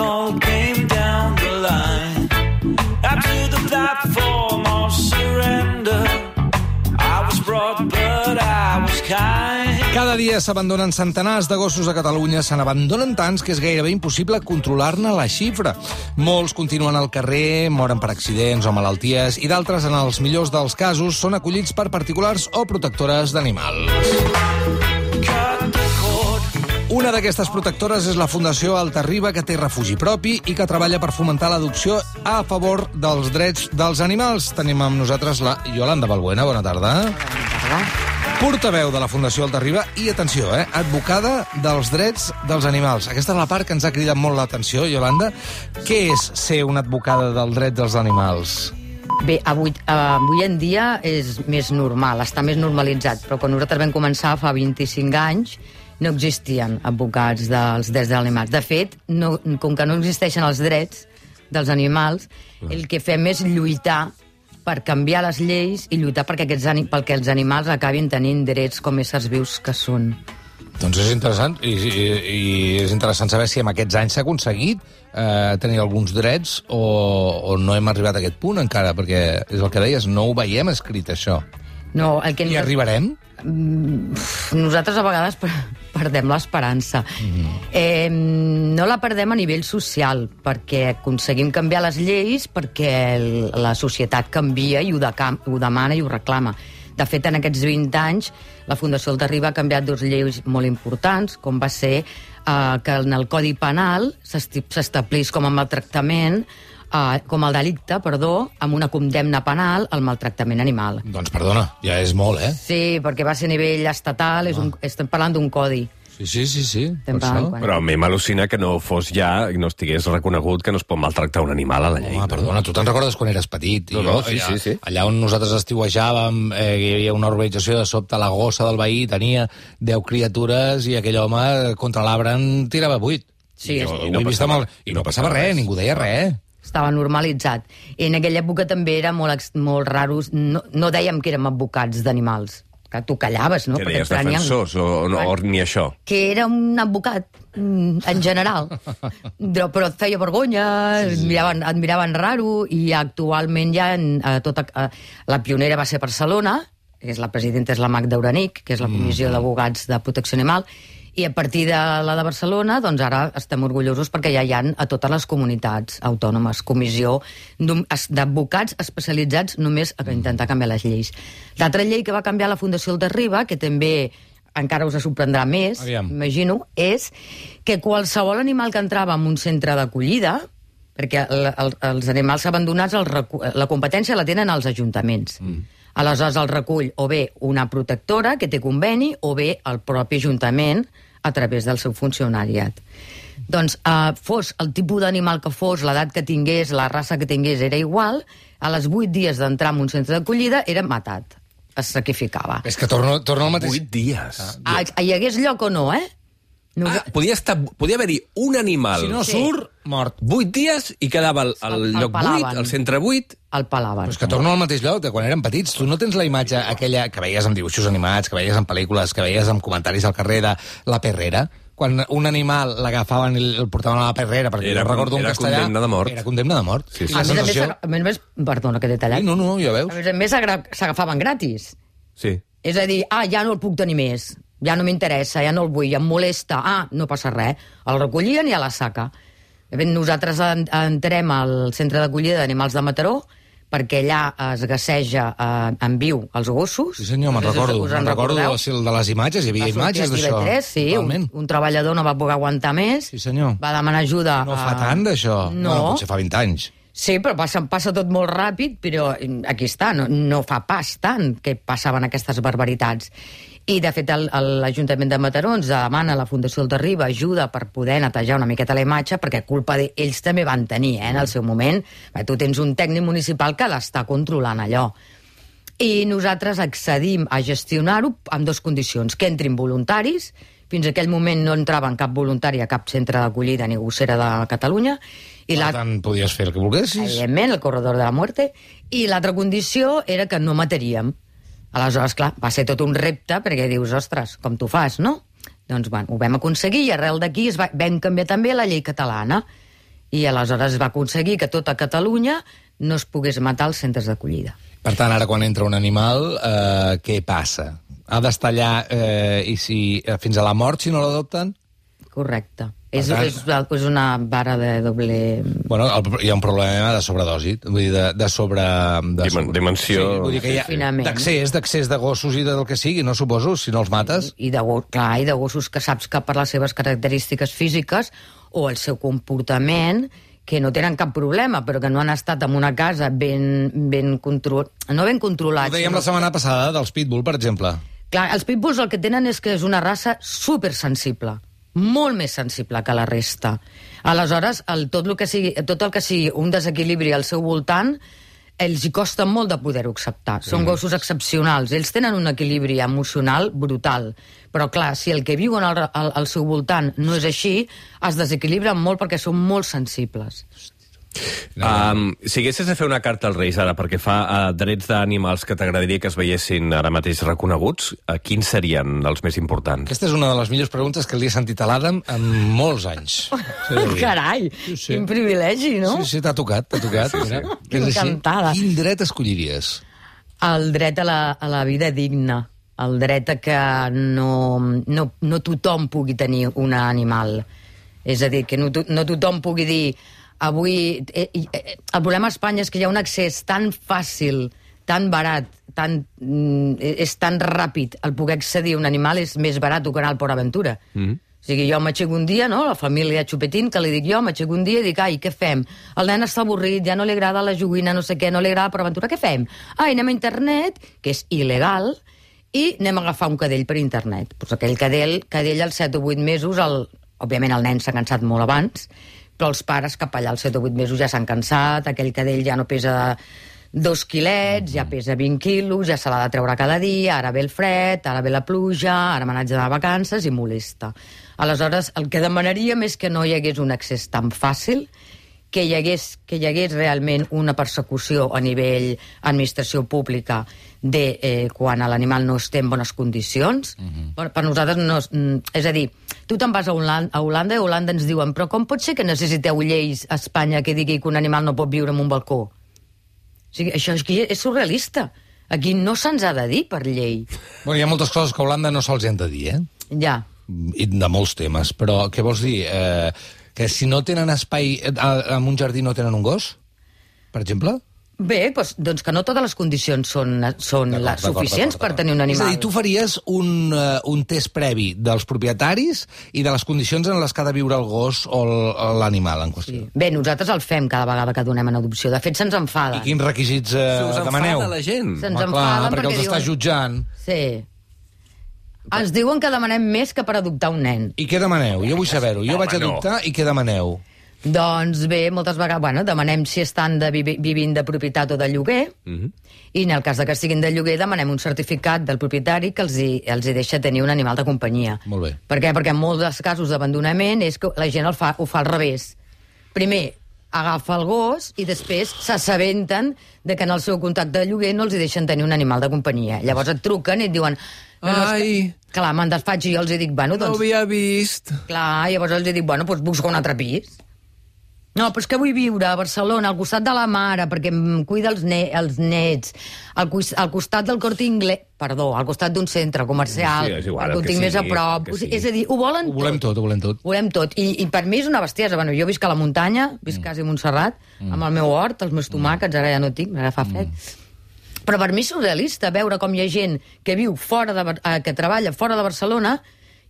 call came down the line. Up to the platform of surrender. I was brought, but I was kind. Cada dia s'abandonen centenars de gossos a Catalunya. Se n'abandonen tants que és gairebé impossible controlar-ne la xifra. Molts continuen al carrer, moren per accidents o malalties, i d'altres, en els millors dels casos, són acollits per particulars o protectores d'animals. Una d'aquestes protectores és la Fundació Altarriba, que té refugi propi i que treballa per fomentar l'adopció a favor dels drets dels animals. Tenim amb nosaltres la Yolanda Balbuena. Bona tarda. Bona tarda. Portaveu de la Fundació Altarriba i, atenció, advocada dels drets dels animals. Aquesta és la part que ens ha cridat molt l'atenció, Yolanda. Què és ser una advocada del dret dels animals? Bé, avui en dia és més normal, està més normalitzat, però quan nosaltres vam començar fa 25 anys no existien advocats dels drets dels animals. De fet, com que no existeixen els drets dels animals, el que fem és lluitar per canviar les lleis i lluitar perquè els animals acabin tenint drets com éssers vius que són. Doncs és interessant, i és interessant saber si en aquests anys s'ha aconseguit tenir alguns drets o no hem arribat a aquest punt encara, perquè és el que deies, no ho veiem escrit, això. No, I arribarem? Nosaltres a vegades perdem l'esperança. No la perdem a nivell social, perquè aconseguim canviar les lleis perquè la societat canvia i ho demana i ho reclama. De fet, en aquests 20 anys, la Fundació Altarriba ha canviat 2 lleis molt importants, com va ser que en el Codi Penal s'establís com a maltractament, com el delicte, amb una condemna penal al maltractament animal. Doncs perdona, ja és molt, Sí, perquè va ser a nivell estatal, estem parlant d'un codi. Sí. Però a mi m'al·lucina que no fos ja, i no estigués reconegut que no es pot maltractar un animal a la llei. Home, perdona, tu te'n recordes quan eres petit? Sí. Allà on nosaltres estiuejàvem, hi havia una urbanització, de sobte la gossa del veí tenia 10 criatures i aquell home contra l'arbre en tirava 8. Sí, I no passava res, ningú deia res. Estava normalitzat. I en aquella època també era molt raro, no dèiem que érem advocats d'animals, que tu callaves, no? Que deies defensors o ni això? Que era un advocat, en general. Però et feia vergonya, et miraven raro, i actualment ja la pionera va ser Barcelona, la presidenta és la Magda Uranic, que és la Comissió d'Advocats de Protecció Animal, i a partir de la de Barcelona, doncs ara estem orgullosos perquè ja hi ha a totes les comunitats autònomes comissió d'advocats especialitzats només a intentar canviar les lleis. L'altra llei que va canviar la Fundació Altarriba, que també encara us sorprendrà més, imagino, és que qualsevol animal que entrava en un centre d'acollida, perquè els animals abandonats, la competència la tenen els ajuntaments. Aleshores el recull o bé una protectora que té conveni o bé el propi ajuntament a través del seu funcionariat. Doncs fos el tipus d'animal que fos, l'edat que tingués, la raça que tingués, era igual, a les 8 dies d'entrar en un centre d'acollida era matat, es sacrificava. És que torno al mateix... 8 dies. Hi hagués lloc o no, Podia haver-hi un animal... Si no surt, mort. 8 dies i quedava al lloc 8, al centre 8... El palaven. Però és que torno al mateix lloc de quan érem petits. Tu no tens la imatge aquella que veies en dibuixos animats, que veies en pel·lícules, que veies en comentaris al carrer de la perrera? Quan un animal l'agafaven i el portaven a la perrera, perquè jo recordo un castellà... Era condemna de mort. Era condemna de mort. Sí. A més, perdona que t'he tallat. Sí, no, ja veus. A més s'agafaven gratis. Sí. És a dir, ja no el puc tenir més, ja no m'interessa, ja no el vull, em molesta, no passa res. El recollien i a la saca. Nosaltres entrem al centre d'acollida d'animals de Mataró, perquè allà es gasseja en viu els gossos. Sí, senyor, me'n recordo de les imatges, hi havia imatges d'això. Sí, un treballador no va poder aguantar més, sí, senyor. Va demanar ajuda. No fa tant, d'això. No. Potser fa 20 anys. Sí, però passa tot molt ràpid, però aquí està, no fa pas tant que passaven aquestes barbaritats. I, de fet, l'Ajuntament de Mataró ens demana a la Fundació Altarriba ajuda per poder netejar una miqueta la imatge, perquè culpa d'ells també van tenir, en el seu moment. Tu tens un tècnic municipal que l'està controlant allò. I nosaltres accedim a gestionar-ho amb 2 condicions, que entrin voluntaris. Fins a aquell moment no entraven cap voluntari a cap centre d'acollida ni gossera de Catalunya. Per tant, podies fer el que volguessis. Evidentment, el corredor de la muerte. I l'altra condició era que no mataríem. Aleshores, clar, va ser tot un repte, perquè dius, ostres, com tu fas, no? Doncs, ho vam aconseguir i arrel d'aquí vam canviar també la llei catalana. I aleshores va aconseguir que tota Catalunya no es pogués matar als centres d'acollida. Per tant, ara quan entra un animal, què passa? Ha d'estar allà fins a la mort si no l'adopten? Correcte. És una vara de doble... Bueno, hi ha un problema de sobredosi, vull dir, de sobre... Dimensió... Sí, vull dir que hi ha d'accés de gossos i del que sigui, no suposo, si no els mates. I de gossos que saps que per les seves característiques físiques o el seu comportament, que no tenen cap problema, però que no han estat en una casa no ben controlats. Ho dèiem la setmana passada dels pitbull, per exemple. Clar, els pitbulls el que tenen és que és una raça supersensible, molt més sensible que la resta. Aleshores, tot el que sigui un desequilibri al seu voltant, ells hi costa molt de poder-ho acceptar. Són gossos excepcionals. Ells tenen un equilibri emocional brutal. Però, clar, si el que viuen al seu voltant no és així, es desequilibren molt perquè són molt sensibles. Si haguessis de fer una carta als Reis ara perquè fa drets d'animals que t'agradaria que es veiessin ara mateix reconeguts, quins serien els més importants? Aquesta és una de les millors preguntes que li he sentit a l'Adam en molts anys. Carai, quin privilegi, no? Sí, t'ha tocat. Sí. Encantada. Quin dret escolliries? El dret a la vida digna, el dret a que no tothom pugui tenir un animal. És a dir, que no tothom pugui dir avui... El problema a Espanya és que hi ha un accés tan fàcil, tan barat, és tan ràpid. El poder accedir a un animal és més barat que anar al Port Aventura. O sigui, jo m'aixeco un dia, no?, la família Xupetín, que li dic jo, m'aixeco un dia i dic, ai, què fem? El nen està avorrit, ja no li agrada la joguina, no sé què, no li agrada Port Aventura, què fem? Ai, anem a internet, que és il·legal, i anem a agafar un cadell per internet. Pues aquell cadell als 7 o 8 mesos, òbviament el nen s'ha cansat molt abans, però els pares cap allà als 7 o 8 mesos ja s'han cansat, aquell cadell ja no pesa 2 quilets, ja pesa 20 quilos, ja se l'ha de treure cada dia, ara ve el fred, ara ve la pluja, ara me n'haig d'anar de vacances i molesta. Aleshores, el que demanaríem és que no hi hagués un accés tan fàcil, que hi hagués realment una persecució a nivell administració pública de quan l'animal no esté en bones condicions. Per nosaltres no... És a dir, tu te'n vas a Holanda i a Holanda ens diuen però com pot ser que necessiteu lleis a Espanya que digui que un animal no pot viure en un balcó? O sigui, això és surrealista. Aquí no se'ns ha de dir per llei. Bueno, hi ha moltes coses que a Holanda no se'ls han de dir, Ja. I de molts temes, però què vols dir? Que si no tenen espai en un jardí no tenen un gos, per exemple? Bé, doncs que no totes les condicions són suficients per tenir un animal. És a dir, tu faries un test previ dels propietaris i de les condicions en les que ha de viure el gos o l'animal en qüestió. Sí. Bé, nosaltres el fem cada vegada que donem en adopció. De fet, se'ns enfaden. I quins requisits demaneu? Us enfada la gent. Se'ns enfaden perquè els està jutjant. Sí. Ens diuen que demanem més que per adoptar un nen. I què demaneu? Jo vull saber-ho. Jo vaig adoptar i què demaneu? Doncs bé, moltes vegades, demanem si estan vivint de propietat o de lloguer, i en el cas que siguin de lloguer demanem un certificat del propietari que els hi deixa tenir un animal de companyia. Molt bé. Per què? Perquè en molts casos d'abandonament és que la gent ho fa al revés. Primer agafa el gos i després s'assabenten de que en el seu contracte de lloguer no els hi deixen tenir un animal de companyia. Llavors et truquen i et diuen... Ai! Clar, me'n desfaig i jo els dic, bueno, doncs... No havia vist. Clar, llavors els dic, bueno, doncs busca un altre pis. No, però és que vull viure a Barcelona, al costat de la mare, perquè em cuida els nets, al costat del Corte Inglés, perdó, al costat d'un centre comercial, sí, és igual, que ho tinc més a prop. És a dir, ho volen tot. Ho volem tot. Volem tot. I per mi és una bestiesa. Bueno, jo visc a la muntanya, visc quasi a Montserrat, amb el meu hort, els meus tomàquets, ara ja no tinc, ara fa fred. Però per mi és surrealista veure com hi ha gent que viu que treballa fora de Barcelona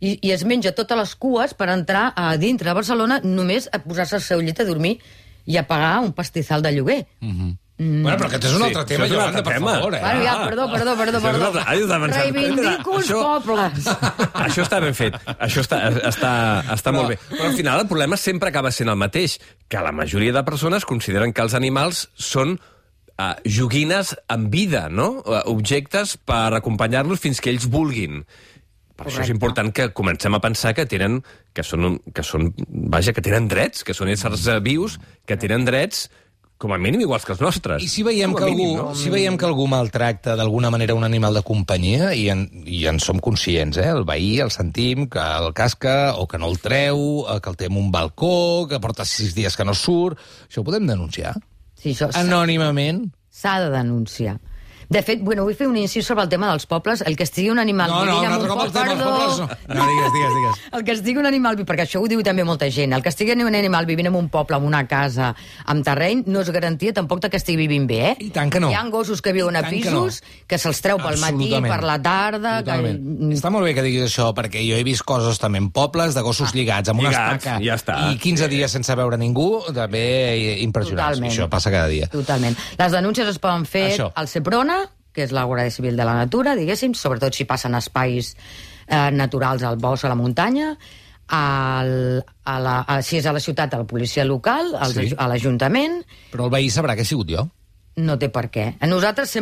i es menja totes les cues per entrar a dintre de Barcelona només a posar-se al seu llit a dormir i a pagar un pastizal de lloguer. Bueno, però aquest és un altre tema, Yolanda, per favor. Bueno, ja, perdó. Reivindico els pobles. Això està ben fet. Això està molt bé. Però al final el problema sempre acaba sent el mateix, que la majoria de persones consideren que els animals són joguines amb vida, no? Objectes per acompanyar-los fins que ells vulguin. Per això és important que comencem a pensar que tenen drets, que són éssers vius, que tenen drets com a mínim iguals que els nostres. I si veiem, que algú maltracta d'alguna manera un animal de companyia, i en som conscients, el veí, el sentim, que el casca o que no el treu, que el té en un balcó, que porta 6 dies que no surt, això ho podem denunciar? Sí, això anònimament? S'ha de denunciar. De fet, vull fer un incís sobre el tema dels pobles. El que estigui un animal vivint en un poble... No, digues. El que estigui un animal, perquè això ho diu també molta gent, el que estigui un animal vivint en un poble, en una casa, amb terreny, no és garantia tampoc que estigui vivint bé, I tant que no. Hi ha gossos que viuen a pisos, que se'ls treu pel matí, per la tarda... Està molt bé que diguis això, perquè jo he vist coses també en pobles de gossos lligats amb una estaca i 15 dies sense veure ningú, també impressionants. Això passa cada dia. Totalment. Les denúncies es poden fer al Seprona, que és la Guàrdia Civil de la Natura, diguéssim, sobretot si passen espais naturals al bosc, a la muntanya, si és a la ciutat, a la policia local, a l'Ajuntament... Però el veí sabrà que he sigut jo. No té per què. Nosaltres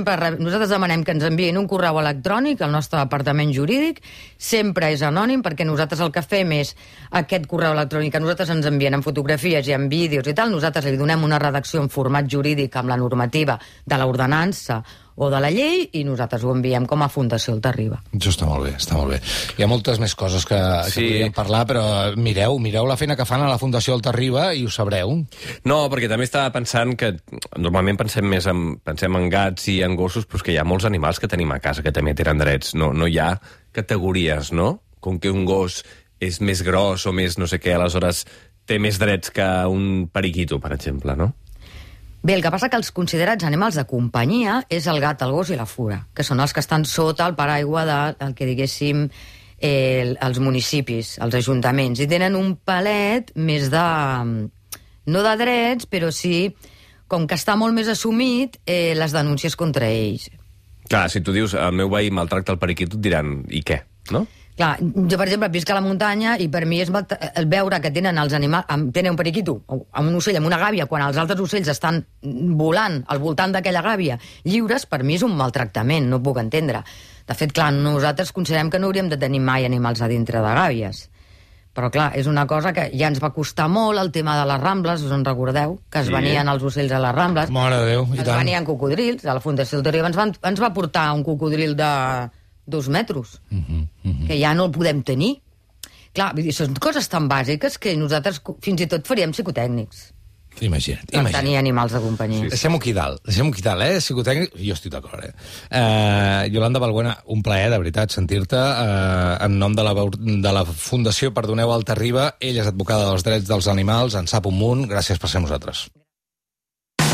demanem que ens enviïn un correu electrònic al nostre departament jurídic, sempre és anònim, perquè nosaltres el que fem és aquest correu electrònic que nosaltres ens envien en fotografies i en vídeos i tal, nosaltres li donem una redacció en format jurídic amb la normativa de l'ordenança o de la llei, i nosaltres ho enviem com a Fundació Alta Riba. Això està molt bé, està molt bé. Hi ha moltes més coses que podríem parlar, però mireu la feina que fan a la Fundació Alta Riba i ho sabreu. No, perquè també estava pensant que normalment pensem en gats i en gossos, però que hi ha molts animals que tenim a casa que també tenen drets. No hi ha categories, no? Com que un gos és més gros o més no sé què, aleshores té més drets que un periquito, per exemple, no? Bé, el que passa que els considerats animals de companyia és el gat, el gos i la fura, que són els que estan sota el paraigua del que diguéssim els municipis, els ajuntaments, i tenen un palet més de... no de drets, però sí, com que està molt més assumit, les denúncies contra ells. Clar, si tu dius el meu veí maltracta el periquito, et diran, i què, no? Clar, jo, per exemple, visc a la muntanya i per mi és el veure que tenen els animals... Tenen un periquito, amb un ocell, amb una gàbia, quan els altres ocells estan volant al voltant d'aquella gàbia lliures, per mi és un maltractament, no ho puc entendre. De fet, clar, nosaltres considerem que no hauríem de tenir mai animals a dintre de gàbies. Però, clar, és una cosa que ja ens va costar molt, el tema de les Rambles, us en recordeu? Que es venien els ocells a les Rambles. Mare de Déu, i tant. Es venien cocodrils, a la Fundació Alta Riba ens va portar un cocodril de 2 metres, que ja no el podem tenir. Clar, són coses tan bàsiques que nosaltres fins i tot faríem psicotècnics. Imagina't. Per tenir animals de companyia. Deixem-ho aquí dalt, psicotècnic, jo estic d'acord, Yolanda Balbuena, un plaer, de veritat, sentir-te en nom de la Fundació Perdoneu Alta Riba. Ella és advocada dels drets dels animals, en sap un munt, gràcies per ser amb nosaltres.